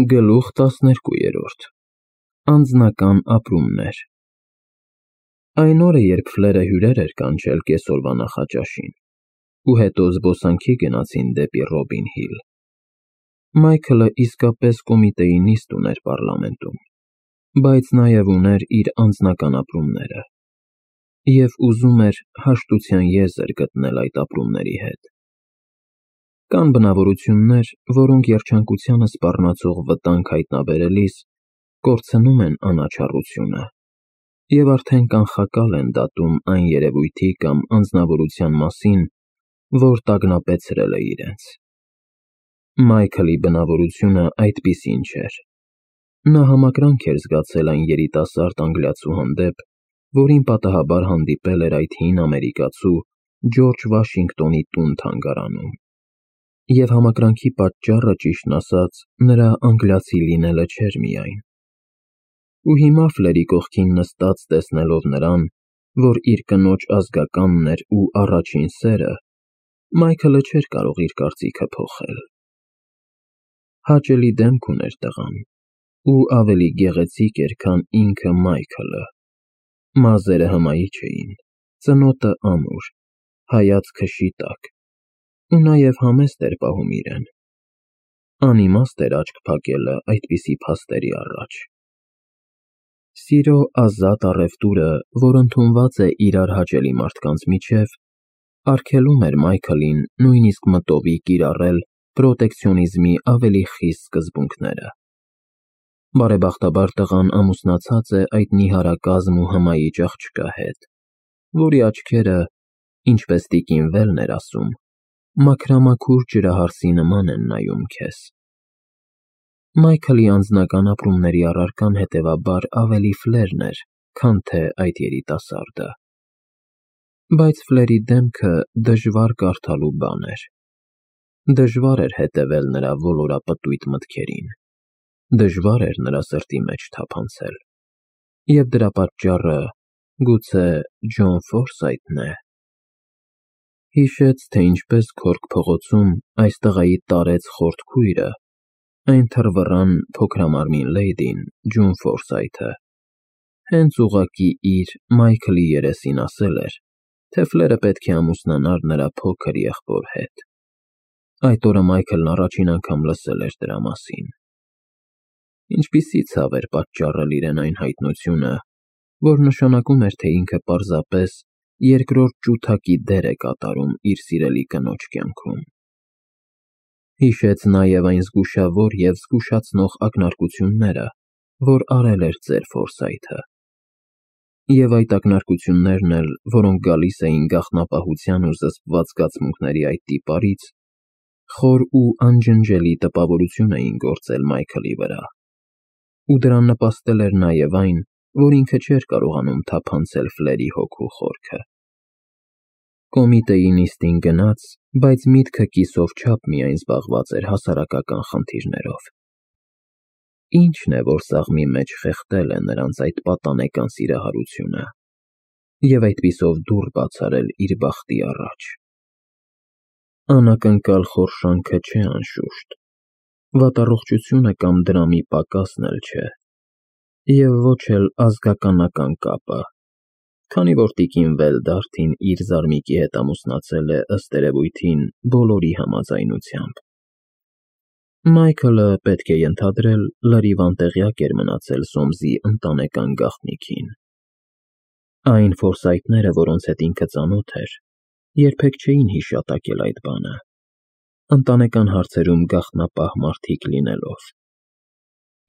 Գլուխ 12 Անձնական ապրումներ Այն օրը, երբ Ֆլերը հյուրեր էր կանչել կեսօրվա նախաճաշին, ու հետո զբոսանքի գնացին դեպի Ռոբին Հիլ, Մայքլը իսկապես կոմիտեի նիստ ուներ պառլամենտում, բայց նաև ուներ իր անձնական ապրումները, և ուզում էր հաշտության եզր գտնել այդ ապրումների հետ։ Կան բնավորություններ, որոնք երջանկությանը սպառնացող վտանգ հայտնաբերելիս կորցնում են անաչառությունը և արդեն կանխակալ են դատում այն երևույթի կամ անձնավորության մասին, որ տագնապեցրել է իրենց։ Մայքլի բնավորությունը այդպիսին չէր։ Նա համակրանք էր զգացել այն երիտասարդ անգլիացու հանդեպ, որին պատահաբար հանդիպել էր այդ հին ամերիկացու Ջորջ Վաշինգտոնի տուն֊թանգարանում։ Եվ համակրանքի պատճառը, ճիշտն ասած, նրա անգլիացի լինելը չէր միայն։ Ու հիմա Ֆլերի կողքին նստած տեսնելով նրան, որ իր կնոջ ազգականն էր ու առաջին սերը, Մայքլը չէր կարող իր կարծիքը փոխել։ Հաճելի դեմք ուներ տղան, ու ավելի գեղեցիկ էր, քան ինքը Մայքլը։ Մազերը հմայիչ էին, ծնոտը ամուր, հայացքը շիտակ, ու նաև համեստ էր պահում իրեն։ Անիմաստ էր աչք փակելը այդպիսի փաստերի առաջ։ Սիրո ազատ առևտուրը, որ ընդունված է իրար հաճելի մարդկանց միջև, արգելում էր Մայքլին նույնիսկ մտովի կիրառել պրոտեկցիոնիզմի ավելի խիստ սկզբունքները։ Բարեբախտաբար տղան ամուսնացած է այդ նիհարակազմ ու հմայիչ աղջկա հետ, որի աչքերը, ինչպես տիկին Վելն էր ասում, մաքրամաքուր ջրահարսի նման են նայում քեզ։ Մայքլի անձնական ապրումների առարկան հետևաբար ավելի Ֆլերն էր, քան թե այդ երիտասարդը։ Բայց Ֆլերի դեմքը դժվար կարդալու բան էր։ Դժվար էր հետևել նրա ոլորապտույտ մտքերին, դժվար էր նրա սրտի մեջ թափանցել։ Եվ դրա պատճառը, գուցե, Ջոն Ֆորսայթն է։ Հիշեց, թե ինչպես Քորք փողոցում այս տղայի տարեց խորթ քույրը, այն թռվռան փոքրամարմին լեյդին, Ջոն Ֆորսայթը, հենց ուղղակի իր՝ Մայքլի երեսին ասել էր, թե Ֆլերը պետք է ամուսնանար նրա փոքր եղբոր հետ։ Այդ օրը Մայքլն առաջին անգամ լսել էր դրա մասին։ Ինչպիսի ցավ էր պատճառել իրեն այն հայտնությունը, որ նշանակում էր, թե ինքը պարզապես երկրորդ ջութակի դեր է կատարում իր սիրելի կնոջ կյանքում։ Հիշեց նաև այն զգուշավոր և զգուշացնող ակնարկությունները, որ արել էր ծեր Ֆորսայթը։ Եվ այդ ակնարկություններն էլ, որոնք գալիս էին գաղտնապահության ու զսպված զգացմունքների այդ տիպարից, խոր ու անջնջելի տպավորություն էին գործել Մայքլի վրա։ Ու դրան նպաստել էր նաև այն, որ ինքը չէր կարողանում թափանցել Ֆլերի հոգու խորքը։ Կոմիտեի նիստին գնաց, բայց միտքը կիսով չափ միայն զբաղված էր հասարակական խնդիրներով։ Ի՞նչն է, որ սաղմի մեջ խեղդել է նրանց այդ պատանեկան սիրահարությունը և այդպիսով դուռ բացարել իր բախտի առաջ։ Անակնկալ խորշանքը չէ անշուշտ, վատառողջությունը կամ դրամի պակասն էլ չէ, և ոչ էլ ազգականական կապը, քանի որ տիկին Վելդարթին իր զարմիկի հետ ամուսնացել է ըստ երևույթին բոլորի համաձայնությամբ։ Մայքլը, պետք է ենթադրել, լրիվ անտեղյակ էր մնացել Սոմսի ընտանեկան գաղտնիքին։ Այն Ֆորսայթները, որոնց հետ ինքը ծանոթ էր, երբեք չէին հիշատակել այդ բանը, ընտանեկան հարցերում գաղտնապահ մարդիկ լինելով։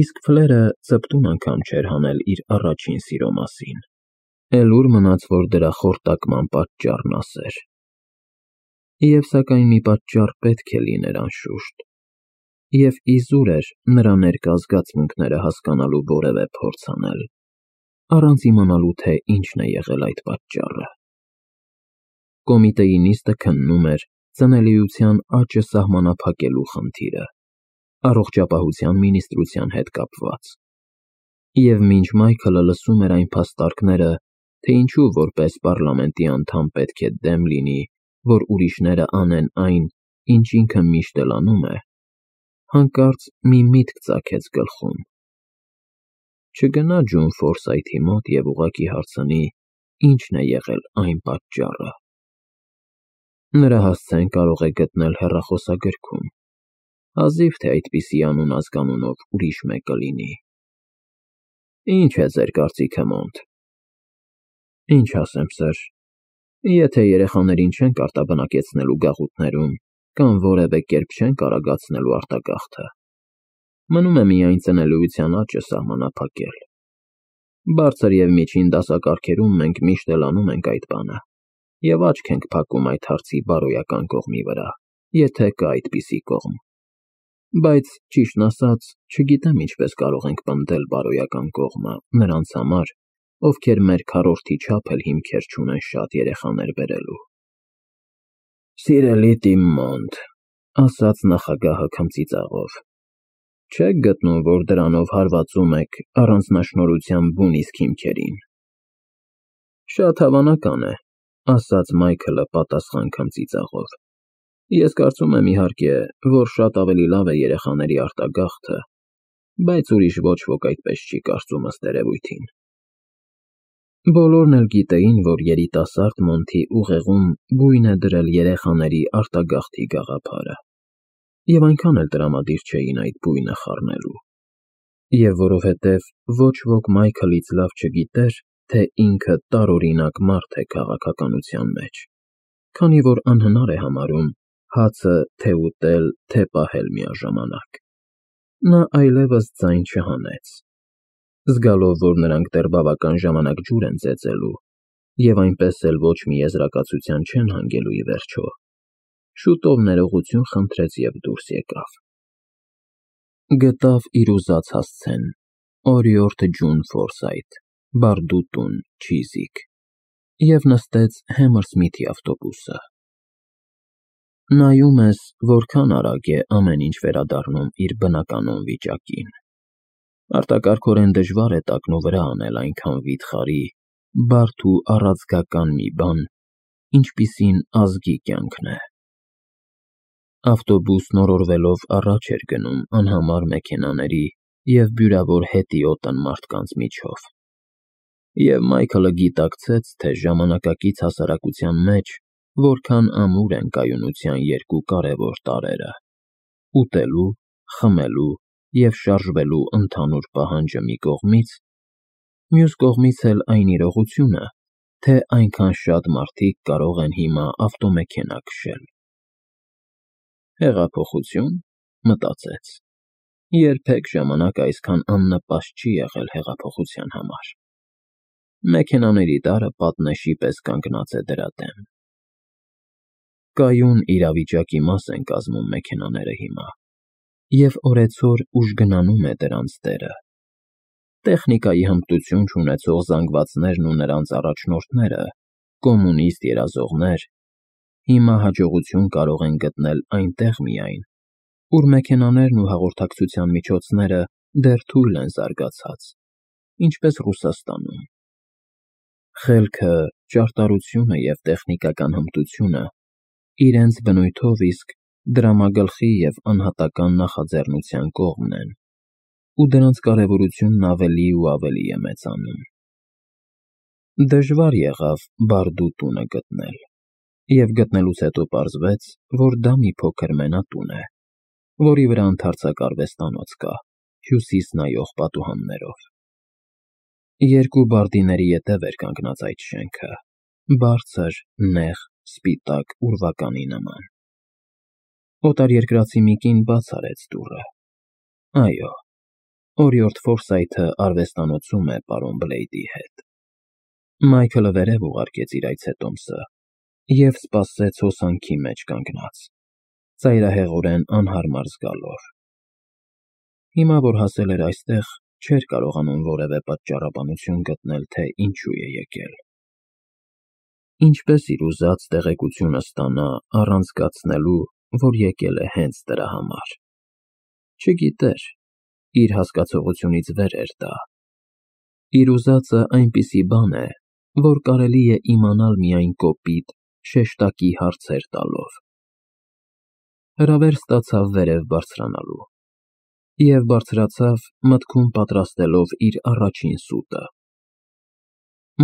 Իսկ Ֆլերը ծպտուն անգամ չէր հանել իր առաջին սիրո մասին, էլ ուր մնաց, որ դրա խորտակման պատճառն ասեր։ Եվ սակայն մի պատճառ պետք է լիներ անշուշտ, և իզուր էր նրա ներկա զգացմունքները հասկանալու որևէ փորձ անել, առանց իմանալու, թե ինչն է եղել այդ պատճառը։ Կոմիտեի նիստը քննում էր ծնելիության աճը սահմանափակելու խնդիրը, առողջապահության մինիստրության հետ կապված։ Եվ մինչ Մայքլը լսում էր այն փաստարկները, թե ինչու որպես պառլամենտի անդամ պետք է դեմ լինի, որ ուրիշները անեն այն, ինչ ինքը միշտ էլ անում է, Հանկարծ մի միտք ծագեց գլխում։ Չգնա Ջոն Ֆորսայթի մոտ և ուղղակի հարցնի, ինչն է եղել այն պատճառը։ Նրա հասցեն կարող է գտնել հեռախոսագրքում, հազիվ թե այդպիսի անուն-ազգանունով ուրիշ մեկը լինի։ Ինչ է ձեր կարծիքը, Մոնտ։ Ինչ ասեմ, սըր, եթե երեխաներին չենք արտաբնակեցնելու գաղութներում կամ որևէ կերպ չենք արագացնելու արտագաղթը, մնում է միայն ծնելիության աճը սահմանափակել։ Բարձր և միջին դասակարգերում մենք միշտ էլ անում ենք այդ բանը և աչք ենք փակում այդ հարցի բարոյական կողմի վրա, եթե կա այդպիսի կողմ։ Բայց, ճիշտն ասած, չգիտեմ ինչպես կարող ենք պնդել բարոյական կողմը նրանց համար, ովքեր մեր քառորդի չափ էլ հիմքեր չունեն շատ երեխաներ բերելու։ Սիրելի Տիմ Մոնտ, ասաց նախագահը քմծիծաղով, չեք գտնում, որ դրանով հարվածում եք առանձնաշնորհության բուն իսկ հիմքերին։ Շատ հավանական է, ասաց Մայքլը պատասխան քմծիծաղով։ Ես կարծում եմ, իհարկե, որ շատ ավելի լավ է երեխաների արտագաղթը, բայց ուրիշ ոչ ոք այդպես չի կարծում ըստ երևույթին։ Բոլորն էլ գիտեին, որ երիտասարդ Մոնթի ուղեղում գույն է դրել երեխաների արտագաղթի գաղափարը, և այնքան էլ տրամադիր չէին այդ բույնը խառնելու։ Եվ որովհետև ոչ ոք Մայքլից լավ չգիտեր, թե ինքը տարօրինակ մարդ է քաղաքականության մեջ, քանի որ անհնար է համարում հացը թե ուտել, թե պահել միաժամանակ, նա այլևս ձայն չհանեց, զգալով, որ նրանք դեռ բավական ժամանակ ջուր են ծեծելու և այնպես էլ ոչ մի եզրակացության չեն հանգելու ի վերջո, շուտով ներողություն խնդրեց և դուրս եկավ։ Գտավ իր ուզած հասցեն՝ օրիորդ Ջոն Ֆորսայթ, բարդուտուն, Չիզիք, և նստեց Հեմերսմիթի ավտոբուսը։ Նայում ես, որքան արագ է ամեն ինչ վերադառնում իր բնականոն վիճակին։ Արտակարգորեն դժվար է տակնու վրա անել այնքան վիթխարի, բարդ ու առաձգական մի բան, ինչպիսին ազգի կյանքն է։ Ավտոբուսն օրորվելով առաջ էր գնում անհամար մեքենաների և բյուրավոր հետիոտն մարդկանց միջով։ Եվ Մայքլը գիտակցեց, թե ժամանակակից հասարակության մեջ որքան ամուր են կայունության երկու կարևոր տարրերը՝ ուտելու, խմելու և շարժվելու ընդհանուր պահանջը մի կողմից, մյուս կողմից էլ այն իրողությունը, թե այնքան շատ մարդիկ կարող են հիմա ավտոմեքենա քշել։ Հեղափոխություն, մտածեց, երբեք ժամանակ այսքան աննպաստ չի եղել հեղափոխության համար։ Մեքենաների տարրը պատնեշի պես կանգնած է դրա դեմ։ Կայուն իրավիճակի մաս են կազմում մեքենաները հիմա, և օրեցօր ուժգնանում է դրանց դերը։ Տեխնիկայի հմտություն չունեցող զանգվածներն ու նրանց առաջնորդները, կոմունիստ երազողներ, հիմա հաջողություն կարող են գտնել այնտեղ միայն, ուր մեքենաներն ու հաղորդակցության միջոցները դեռ թույլ են զարգացած, ինչպես Ռուսաստանում։ Խելքը, ճարտարությունը և տեխնիկական հմտությունը իրենց բնույթով իսկ դրամագլխի և անհատական նախաձեռնության կողմն են, ու դրանց կարևորությունն ավելի ու ավելի է մեծանում։ Դժվար եղավ բարդուտունը գտնել, և գտնելուց հետո պարզվեց, որ դա մի փոքր մենատուն է, որի վրա ընդարձակ արվեստանոց կա, հյուսիս նայող պատուհաններով։ Երկու բարդիների ետև էր կանգնած այդ շենքը, բարձր, նեղ, սպիտակ ուրվականի նման։ Օտարերկրացի մի կին բաց արեց դուռը։ Այո, օրիորդ Ֆորսայթը արվեստանոցում է պարոն Բլեյդի հետ։ Մայքլը վերև ուղարկեց իր այցետոմսը և սպասեց հոսանքի մեջ կանգնած, ծայրահեղորեն անհարմար զգալով։ Հիմա, որ հասել էր այստեղ, չէր կարողանում որևէ պատճառաբանություն գտնել, թե ինչու է եկել։ Ինչպես իր ուզած տեղեկությունը ստանա առանց զգացնելու, որ եկել է հենց դրա համար։ Չգիտեր, իր հասկացողությունից վեր էր դա։ Իր ուզածը այնպիսի բան է, որ կարելի է իմանալ միայն կոպիտ, շեշտակի հարցեր տալով։ Հրավեր ստացավ վերև բարձրանալու։ և բարձրացավ մտքում պատրաստելով իր առաջին սուտը։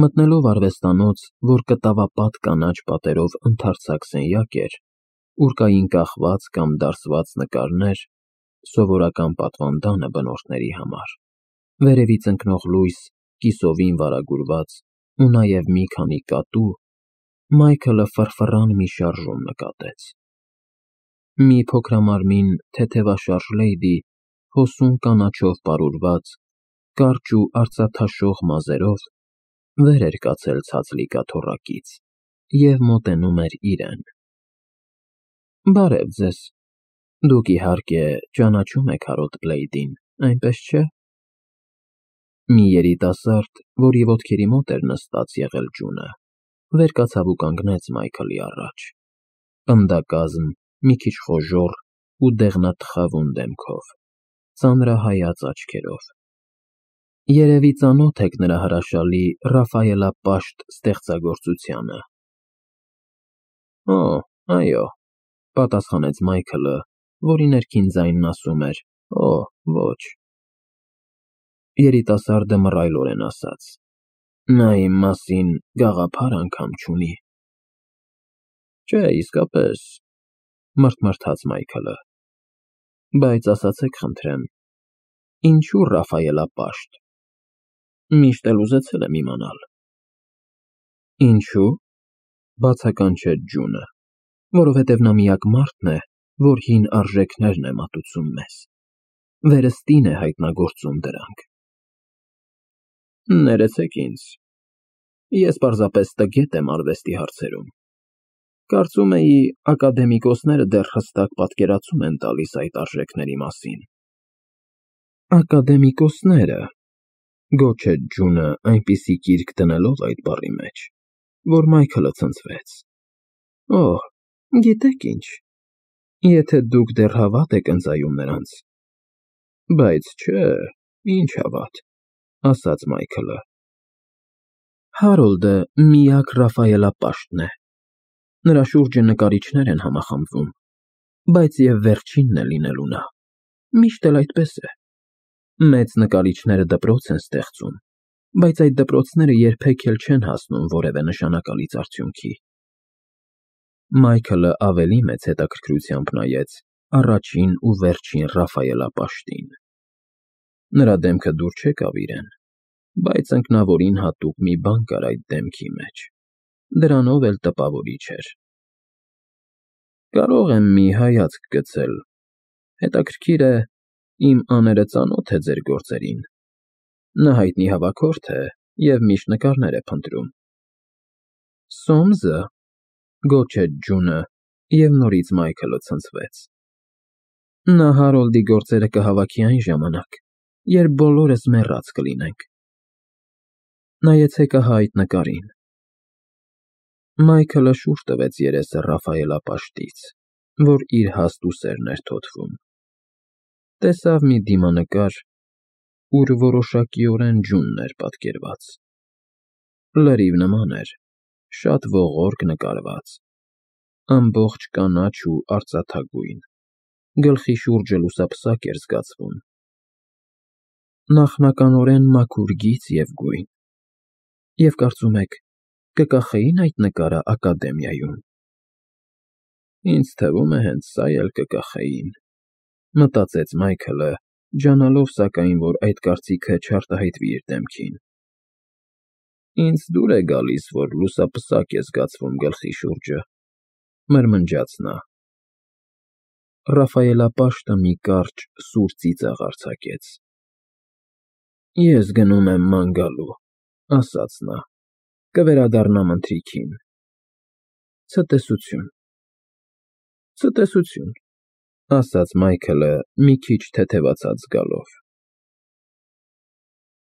Մտնելով արվեստանոց, որ կտավապատ կանաչ պատերով ընդարձակ սենյակ էր, ուր կային կախված կամ դարսված նկարներ, սովորական պատվանդանը բնորդների համար, վերևից ընկնող լույս, կիսովին վարագուրված ու նաև մի քանի կատու, Մայքլը ֆռֆռան մի շարժում նկատեց։ Մի փոքրամարմին թեթևաշարժ լեյդի, հոսուն կանաչով պարուրված, կարճ ու արծաթաշող մազերով, վեր էր կացել ցածլիկա թոռակից և մոտենում էր իրեն։ Բարև ձեզ, դուք իհարկե ճանաչում եք Հարոլդ Բլեյդին, այնպես չէ՞։ Մի երիտասարդ, որի ոտքերի մոտ էր նստած եղել ջունը, վեր կացավ ու կանգնեց Մայքլի առաջ, պնդակազմ, մի քիչ խոժոռ ու դեղնաթխավուն դեմքով, ծանրահայաց աչքերով։ Երևի ծանոթ եք նրա հրաշալի Ռաֆայելապաշտ ստեղծագործությանը։ Օ, այո, պատասխանեց Մայքլը, որի ներքին ձայնն ասում էր. Օ, ոչ։ Երիտասարդը մռայլորեն ասաց. Նա իմ մասին գաղափար անգամ չունի։ Չէ, իսկապես, մռթմռթաց Մայքլը, բայց ասացեք խնդրեմ, ինչու Ռաֆայելապաշտ։ Միշտ էլ ուզեցել եմ իմանալ։ Ինչու՞, բացականչեց ջունը, որովհետև նա միակ մարդն է, որ հին արժեքներն է մատուցում մեզ, վերստին է հայտնագործում դրանք։ Ներեցեք ինձ, ես պարզապես տգետ եմ արվեստի հարցերում։ Կարծում էի, ակադեմիկոսները դեռ հստակ պատկերացում են տալիս այդ արժեքների մասին։ Ակադեմիկոսները, գոչեց ջունը այնպիսի կիրք դնելով այդ բառի մեջ, որ Մայքլը ցնցվեց։ Օհ, գիտեք ինչ, եթե դուք դեռ հավատ եք ընծայում նրանց։ Բայց չէ, ինչ հավատ, ասաց Մայքլը։ Հարոլդը միակ Ռաֆայելապաշտն է։ Նրա շուրջը նկարիչներ են համախմբվում, բայց և վերջինն է լինելու նա։ Միշտ էլ այդպես է։ Մեծ նկարիչները դպրոց են ստեղծում, բայց այդ դպրոցները երբեք էլ չեն հասնում որևէ նշանակալից արդյունքի։ Մայքլը ավելի մեծ հետաքրքրությամբ նայեց առաջին ու վերջին Ռաֆայելապաշտին։ Նրա դեմքը դուր չեկավ իրեն, բայց ընկնավորին հատուկ մի բան կար այդ դեմքի մեջ, դրանով էլ տպավորիչ էր։ Կարող եմ մի հայացք գցել, հետաքրքիր է, իմ աները ծանոթ է ձեր գործերին։ Նա հայտնի հավաքորդ է և միշտ նկարներ է փնտրում։ Սոմզը, գոչեց ջունը, և նորից Մայքլը ցնցվեց։ Նա Հարոլդի գործերը կհավաքի այն ժամանակ, երբ բոլորս մեռած կլինենք։ Նայեցեք ահա այդ նկարին։ Մայքլը շուռ տվեց երեսը Ռաֆայելապաշտից, որ իր հաստ ուսերն էր թոթվում։ Տեսավ մի դիմանկար, ուր որոշակիորեն ջունն էր պատկերված։ Լրիվ նման էր, շատ ողորկ նկարված, ամբողջ կանաչ ու արծաթագույն, գլխի շուրջը լուսապսակ էր զգացվում։ Նախնականորեն մաքուր գիծ և գույն։ Եվ կարծում եք, կկախեի՞ն այդ նկարը ակադեմիայում։ Ինձ թվում է հենց սա էլ կկախեին, մտածեց Մայքլը, ջանալով սակայն, որ այդ կարծիքը չարտահայտվի իր դեմքին։ Ինձ դուր է գալիս, որ լուսապսակ է զգացվում գլխի շուրջը, մրմնջաց նա։ Ռաֆայելապաշտը մի կարճ սուր ծիծաղ արձակեց։ Ես գնում եմ ման գալու, ասաց նա, կվերադառնամ ընթրիքին։ Ցտեսություն։ Ցտեսություն, ասաց Մայքլը մի քիչ թեթևացած զգալով։